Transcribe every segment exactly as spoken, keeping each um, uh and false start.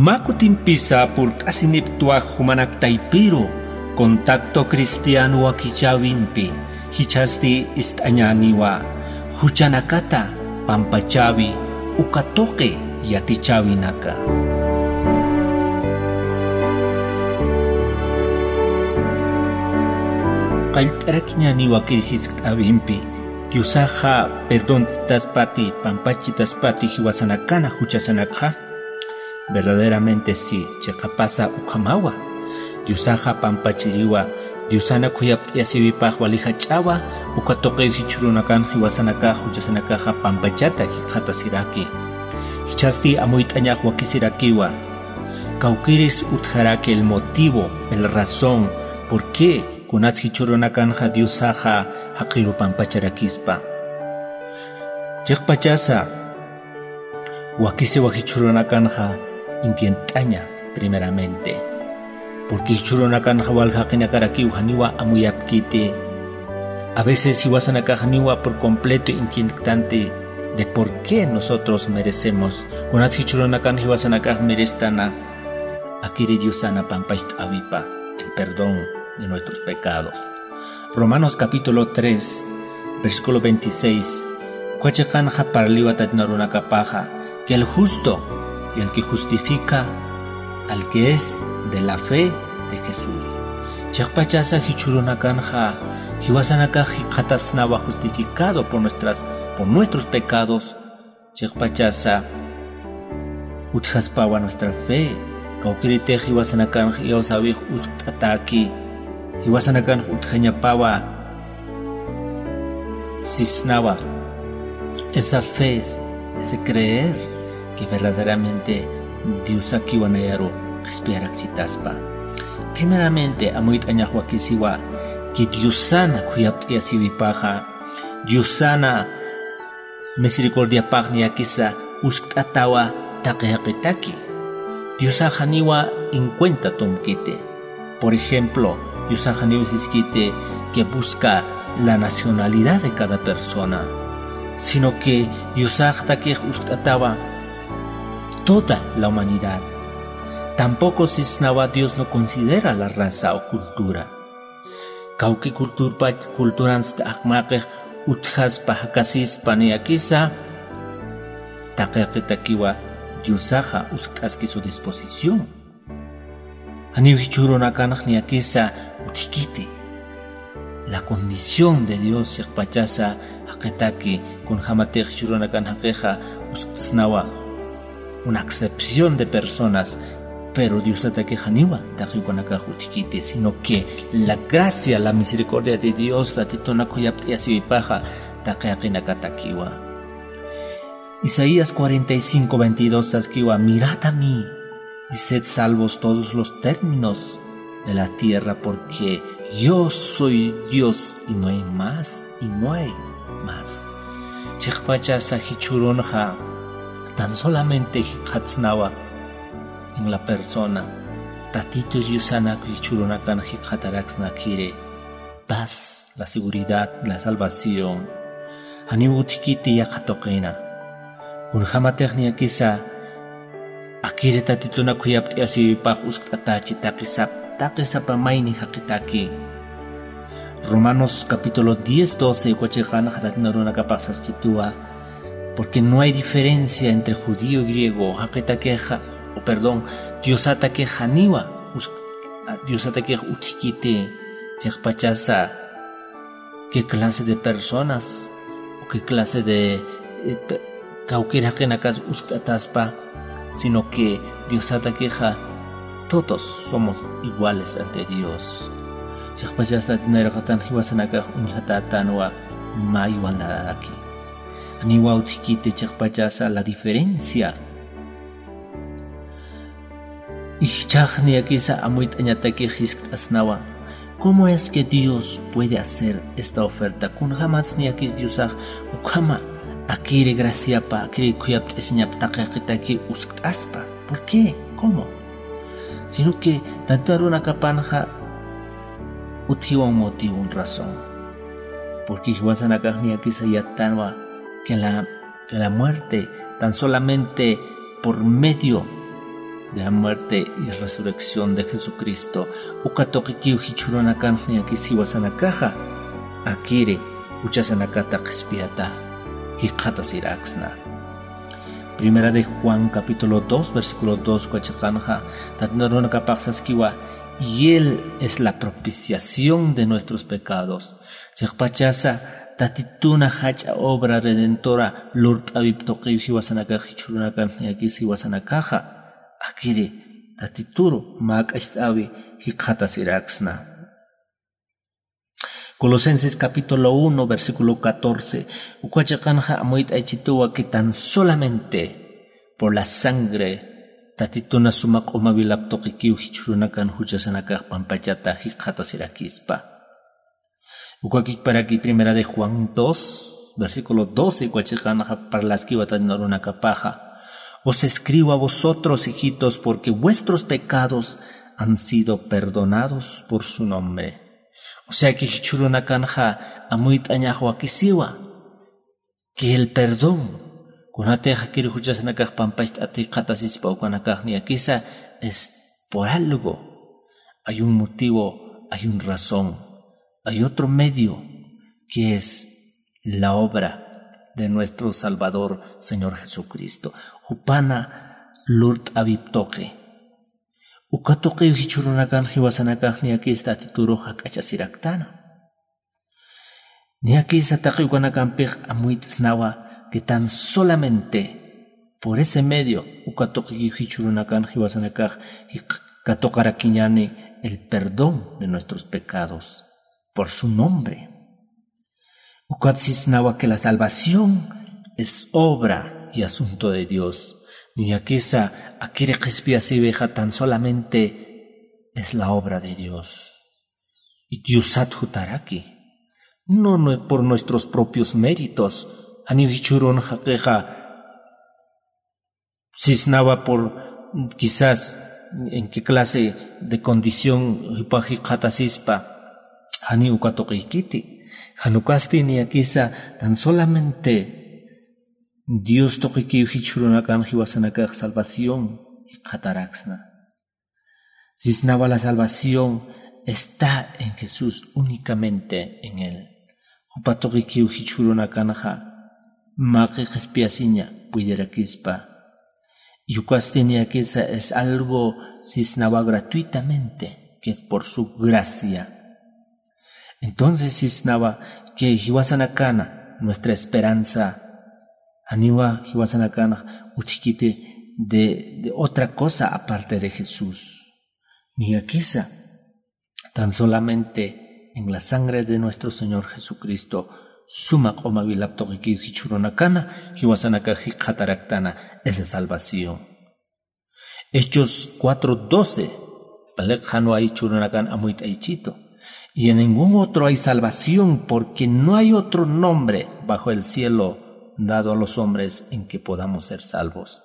Pä kutimpisa purt'asinipktwa jumanak taypiru contacto cristiano wakichäwimpi, jichhasti ist'añäniwa juchanakata pampachäwi uka tuqi yatichäwinaka. Qallt'arakiñäniwa kir jiskt'äwimpi, Diosaxa perdonchitaspati, pampachitaspati jiwasanakana juchasanakxa. Verdaderamente sí, chiqapasa ukhamawa. Diosaxa pampachiriwa, Diosana khuyapt'ayasiwipax wali jach'awa, uka tuqiw jichhürunakan jiwasanakax juchasanakaxa pampachata jikxatasiraki. Jichhasti amuyt'añax wakisirakiwa. Kawkïris utjaraki el motivo, el razón, por qué kunats jichhürunakanxa Diosaxa jaqiru pampacharakispa. Chiqpachasa, wakisiwa jichhürunakanxa entiendt'aña primeramente. Porque jichhürunakanxa wal jaqinakarakiw janiwa amuyapkiti. A veces jiwasanakax janiwa por completo entiendktanti de por qué nosotros merecemos. Kunats jichhürunakan jiwasanakax merestana, akiri Diosana pampacht'äwipa, el perdón de nuestros pecados. Romanos capítulo tres, versículo veintiséis, uka chiqanxa parliwa tatin arunakapaxa, que el justo y el que justifica al que es de la fe de Jesús. Chiqpachasa jichhürunakanxa, jiwasanakax jikxatasnawa justificado por nuestras, por nuestros pecados, chiqpachasa utjaspawa nuestra fe, kawkïritix jiwasanakanx iyawsäwix uskt'atäki, jiwasanakanx utjañapawa sisnawa. Esa fe, ese creer que verdaderamente Diosakiwa nayaru qhispiyarakchitaspa. Primeramente, amuyt'añax wakisiwa que Diosana khuyapt'ayasiwipaxa, Diosana misericordiapax niyakisa uskt'atawa taqi jaqitaki. Diosax janiwa en cuenta tomkiti. Por ejemplo, Diosax janiw siskiti que busca la nacionalidad de cada persona, sino que Diosaxtakix uskt'atawa toda la humanidad. Tampoco sisnawa Dios no considera la raza o cultura. Kawki culturpa, culturansti aqmaqix utjaspa, jakasispa niyakisa, taqi jaqitakiwa Diosaxa uskt'aski su disposición. Janiw jichhürunakanx niyakisa utjkiti. La condición de Dios chiqpachasa jaqitaki, kunjamatix jichhürunakan jaqixa uskt'asnawa una excepción de personas, pero Diosatakix janiwa taqi ukanakax utjkiti, sino que la gracia, la misericordia de Dios, Tatitunak khuyapt'ayasiwipaxa taqi jaqinakatakiwa. Isaías cuarenta y cinco veintidós saskiwa: "Mirad a mí y sed salvos todos los términos de la tierra, porque yo soy Dios y no hay más, y no hay más". Chiqpachasa jichhürunxa tan solamente jikxatsnawa en la persona, Tatitu Diosanak jichhürunakan jikxataraksna akiri paz, la seguridad, la salvación. Janiw utjkiti yaqha tuqina. Kunjamatix niyakisa akiri Tatitunak khuyapt'ayasiwipax uskt'atächi taqi sap, taqi sapa mayni jaqitaki. Romanos capítulo diez, doce, uka chiqanxa tatin arunakapax saschituwa: "Porque no hay diferencia entre judío y griego", jaqitakixa, o perdón, Diosatakixa janiwa usk-, a, Diosatakix utjkiti, chiqpachasa qué clase de personas o qué clase de, eh, pe-, kawkïr jaqinakas uskt'ataspa, sino que Diosatakixa todos somos iguales ante Dios. Chiqpachasa tatin arunakatan jiwasanakax uñjatätanwa mä igualdadaki. Janiwa utjkiti chiqpachasa la diferencia. Jichhax niyakisa amuyt'añatakix jiskt'asnawa: "¿Cómo es que Dios puede hacer esta oferta?" Kunjamatsa niyakis Diosax ukhama akiri graciapa, akiri khuyapt'asiñapa taqi jaqitaki uskt'aspa. ¿Por qué? ¿Cómo? Sino que Tatitu arunakapanxa utjiwa un motivo, un razón. Porque jiwasanakax niyakisa yattanwa que la, que la muerte tan solamente por medio la muerte y resurrección de Jesucristo. Uka tuqikiw jichhürunakanx niyakis jiwasanakaxa akiri juchasanakata qhispiyata jikxatasiraksna. Primera de Juan capítulo dos, versículo dos uka chiqanxa, tatin arunakapax saskiwa: "Y él es la propiciación de nuestros pecados". Chiqpachasa Tatituna jach'a obra redentora lurt'äwip tuqiw jiwasanakax jichhürunakan niyakis jiwasanakaxa akiri Tatituru mä k'acht'äwi jikxatasiraksna. Colosenses capítulo uno, versículo catorce, uka chiqanxa amuyt'aychituwa que tan solamente por la sangre Tatituna suma q'uma wilap tuqikiw jichhürunakan juchasanakax pampachata jikxatasirakispa. Uka kikparaki Primera de Juan dos, versículo doce, uka chiqanxa parlaskiwa tatin arunakapaxa: "Os escribo a vosotros, hijitos, porque vuestros pecados han sido perdonados por su nombre". O sea que jichhürunakanxa amuyt'añax wakisiwa que el perdón, kunatix akiri juchasanakax pampacht'at jikxatasispa ukanakax niyakisa, es por algo. Hay un motivo, hay un razón, hay otro medio, que es la obra de nuestro Salvador, Señor Jesucristo. Jupana lurt'äwip tuqi. Uka tuqiw jichhürunakan jiwasanakax niyakis Tatiturux jak'achasiraktana. Niyakisa taqi ukanakampix amuyt'snawa que tan solamente por ese medio uka tuqikiw jichhürunakan jiwasanakax jik-, katuqarakiñäni el perdón de nuestros pecados por su nombre. Ukat sisnawa que la salvación es obra y asunto de Dios. Niyakisa akiri qhispiyasiwixa tan solamente es la obra de Dios. Y Diosat jutaraki. No, no por nuestros propios méritos. Janiw jichhürun jaqixa sisnawa por quizás en qué clase de condición jupax jikxatasispa, janiw uka tuqiykiti. Jan ukasti niyakisa tan solamente Dios tuqikiw jichhürunakan jiwasanakax salvación jikxataraksna. Sisnawa la salvación está en Jesús, únicamente en Él. Jupa tuqikiw jichhürunakanxa maqi qhispiyasiña puydirakispa. Y ukasti niyakisa es algo sisnawa gratuitamente, que es por su gracia. Entonces sisnawa que jiwasanakana nuestra esperanza, janiwa jiwasanakan utjkiti de, de otra cosa aparte de Jesús. Niyakisa tan solamente en la sangre de nuestro Señor Jesucristo, suma q'uma wilap tuqikiw jichhürunakana jiwasanakax jikxataraktana esa salvación. Hechos cuatro doce, paliq janwa jichhürunakan amuyt'aychitu. Y en ningún otro hay salvación, porque no hay otro nombre bajo el cielo dado a los hombres en que podamos ser salvos.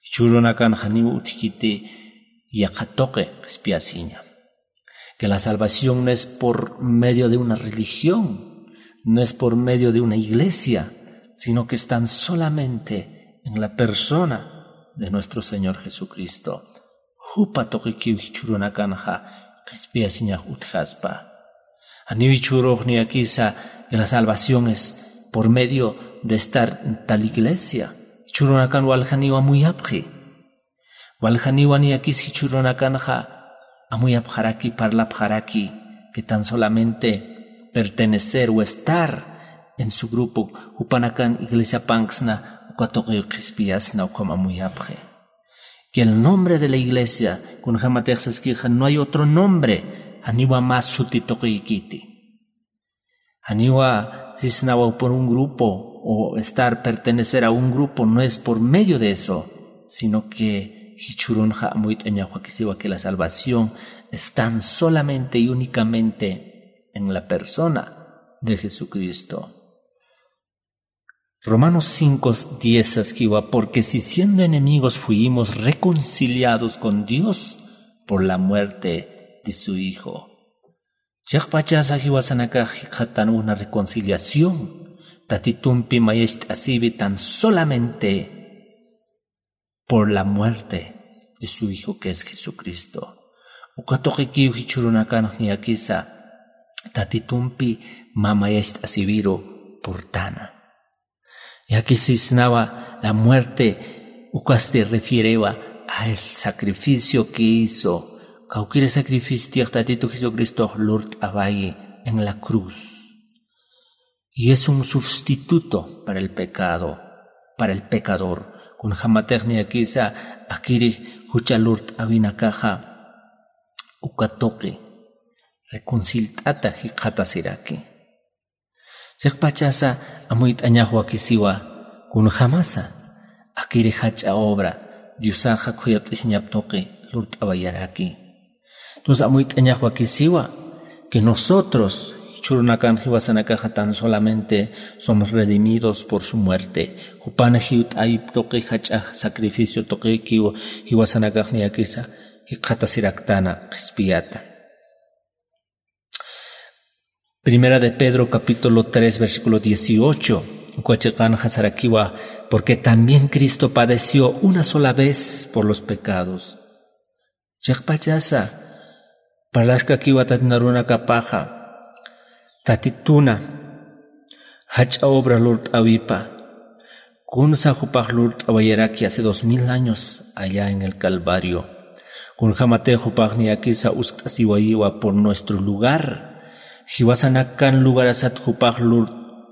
Jichhürunakan janiw utjkiti yaqha tuqi qhispiyasiña. Que la salvación no es por medio de una religión, no es por medio de una iglesia, sino que es tan solamente en la persona de nuestro Señor Jesucristo. Jupa tuqikiw jichhürunakanxa qhispiyasiñax utjaspa. Janiw jichhürux niyakisa que la salvación es por medio de estar en tal iglesia. Jichhürunakan waljaniw amuyapxi. Waljaniwa niyakis jichhürunakanxa amuyapxaraki, parlapxaraki que tan solamente pertenecer o estar en su grupo, jupanakan iglesiapanksna uka tuqiw qhispiyasna ukham amuyapxi. Que el nombre de la iglesia, kunjamatix saskixa no hay otro nombre, janiwa mä suti tuqiykiti. Janiwa sisnawa por un grupo o estar, pertenecer a un grupo no es por medio de eso, sino que jichhürunxa amuyt'añax wakisiwa que la salvación es tan solamente y únicamente en la persona de Jesucristo. Romanos cinco diez saskiwa: "Porque si siendo enemigos fuimos reconciliados con Dios por la muerte de su Hijo". Chiqpachasa jiwasanakax jikxatan una reconciliación Tatitumpi mayacht'asiwi tan solamente por la muerte de su Hijo que es Jesucristo. Uka tuqikiw jichhürunakanx niyakisa Tatitumpi mä mayacht'asiwiru purtana. Yakisisnawa la muerte, ukasti refierewa a el sacrificio que hizo. Kawkïri sacrificio Tatitu Jesucristox lurt'awayi en la cruz. Y es un sustituto para el pecado, para el pecador. Kunjamatix niyakisa akïri jucha lurt'awinakaxa uka tuqi reconcilt'ata jikxatasiraki. Chiqpachasa amuyt'añax wakisiwa kunjamasa akïri jach'a obra Diosaxa khuyapt'asiñap tuqi lurt'awayaraki. Entonces amuyt'añax wakisiwa que nosotros jichhürunakan jiwasanakaxa tan solamente somos redimidos por su muerte. Jupan jiwt'ayip tuqi jach'a sacrificio tuqikiw jiwasanakax niyakisa jikxatasiraktana qhispiyata. Primera de Pedro capítulo tres versículo dieciocho, uka chiqanxa sarakiwa: "Porque también Cristo padeció una sola vez por los pecados." Chiqpachasa parlaskakiwa Tatitu arunakapaxa, Tatituna jach'a obra lurt'awipa, kunsa jupax lurt'awayaraki hace dos mil años allá en el Calvario. Kunjamatix jupax niyakisa uskt'asiwayiwa por nuestro lugar. Jiwasanakan lugarasat jupax lur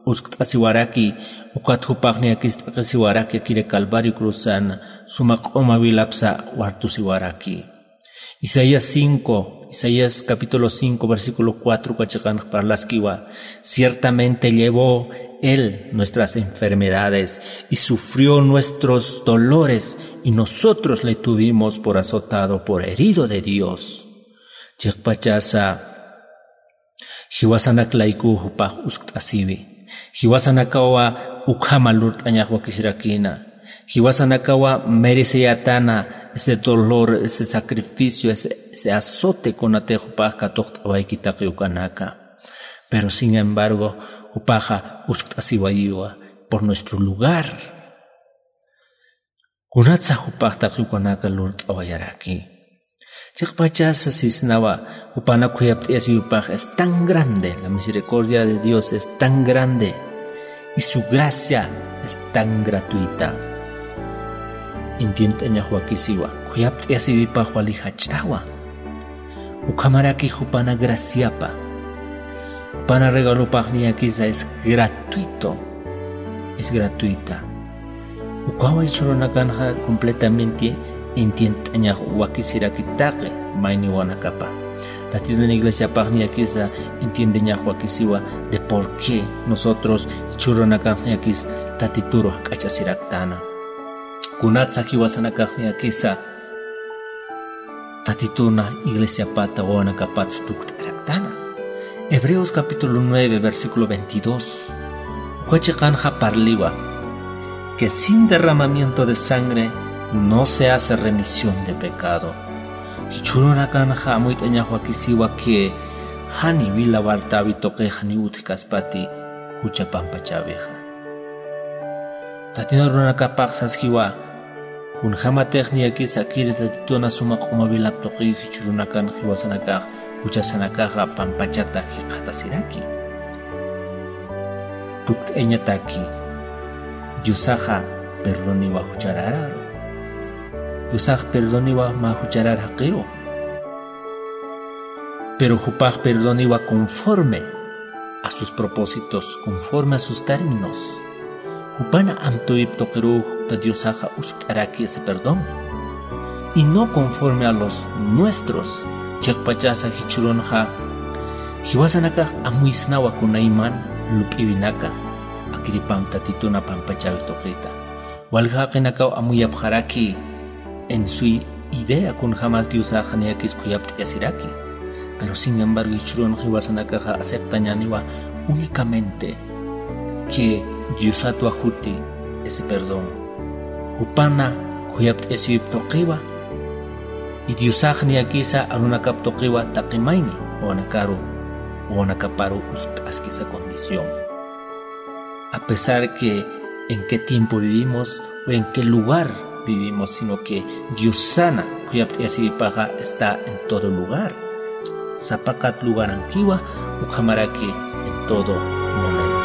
uskt'asiwaraki, ukat jupax niyakis t'aqhisiwaraki akïri Calvario cruzan, suma q'uma wilapsa wartusiwaraki. Isaías cinco, Isaías capítulo cinco, versículo cuatro, uka chiqanx parlaskiwa: "Ciertamente llevó él nuestras enfermedades y sufrió nuestros dolores, y nosotros le tuvimos por azotado, por herido de Dios." Chiqpachasa jiwasanak laykuw jupax uskt'asiwi. Jiwasanakawa ukhama lurt'añax wakisirakïna. Jiwasanakawa mereceyätana ese dolor, ese sacrificio, ese, ese azote kunatix jupax katuqt'awayki taqi ukanaka. Pero sin embargo, jupaxa uskt'asiwayiwa por nuestro lugar. Kunatsa jupax taqi ukanaka lurt'awayaraki. Chiqpachasa sisnawa, jupana khuyapt'ayasiwipax es tan grande, la misericordia de Dios es tan grande, y su gracia es tan gratuita. Entiendt'añax wakisiwa, khuyapt'ayasiwipax wali jach'awa. Ukhamaraki jupana graciapa, jupana regalopax niyakisa es gratuito, es gratuita. Ukawa jichhürunakanxa completamente entiendt'añax wakisiraki taqi mayniwanakapa. Tatitun iglesiapax niyakisa entiendeñax wakisiwa de por qué nosotros jichhürunakanx niyakis Tatituru jak'achasiraktana. Kunatsa jiwasanakax niyakisa Tatituna iglesiapata wawanakapat tukt'araktana. Hebreos capítulo nueve, versículo veintidós. Uka chiqanxa parliwa que sin derramamiento de sangre no se hace remisión de pecado. Jichhürunakanxa amuyt'añax wakisiwa que jani wila wartäwi tuqix janiw utjkaspati jucha pampachäwixa. Tatitun arunakapax saskiwa, kunjamatix niyakis akïri Tatituna suma q'uma wilap tuqiw jichhürunakan jiwasanakax juchasanakaxa pampachata jikxatasiraki. Tukt'ayañataki, Diosaxa perdoniwa juchararu. Diosax perdoniwa mä jucharar jaqiru. Pero jupax perdoniwa conforme a sus propósitos, conforme a sus términos. Jupana amtuyip tuqiruw ta Diosaxa uskt'araki ese perdón. Y no conforme a los nuestros, chiqpachasa jichhürunxa jiwasanakax amuysnawa kunayman lup'iwinaka, akiripam Tatituna pampachäwi tuqita. Walja jaqinakaw amuyapxaraki en su idea kunjamas Diosaxa niyakis khuyapt'ayasiraki. Pero sin embargo, jichhürun jiwasanakaxa aceptañäniwa únicamente que Diosatwa juti ese perdón. Jupana khuyapt'ayasiwip tuqiwa, y Diosax niyakisa arunakap tuqiwa taqi mayni wawanakaru, wawanakaparu uskt'askisa condición. A pesar que en qué tiempo vivimos o en qué lugar vivimos, sino que Diosana khuyapt'ayasiwipaxa está en todo lugar. Sapaqat lugarankiwa, ukhamaraki en todo momento.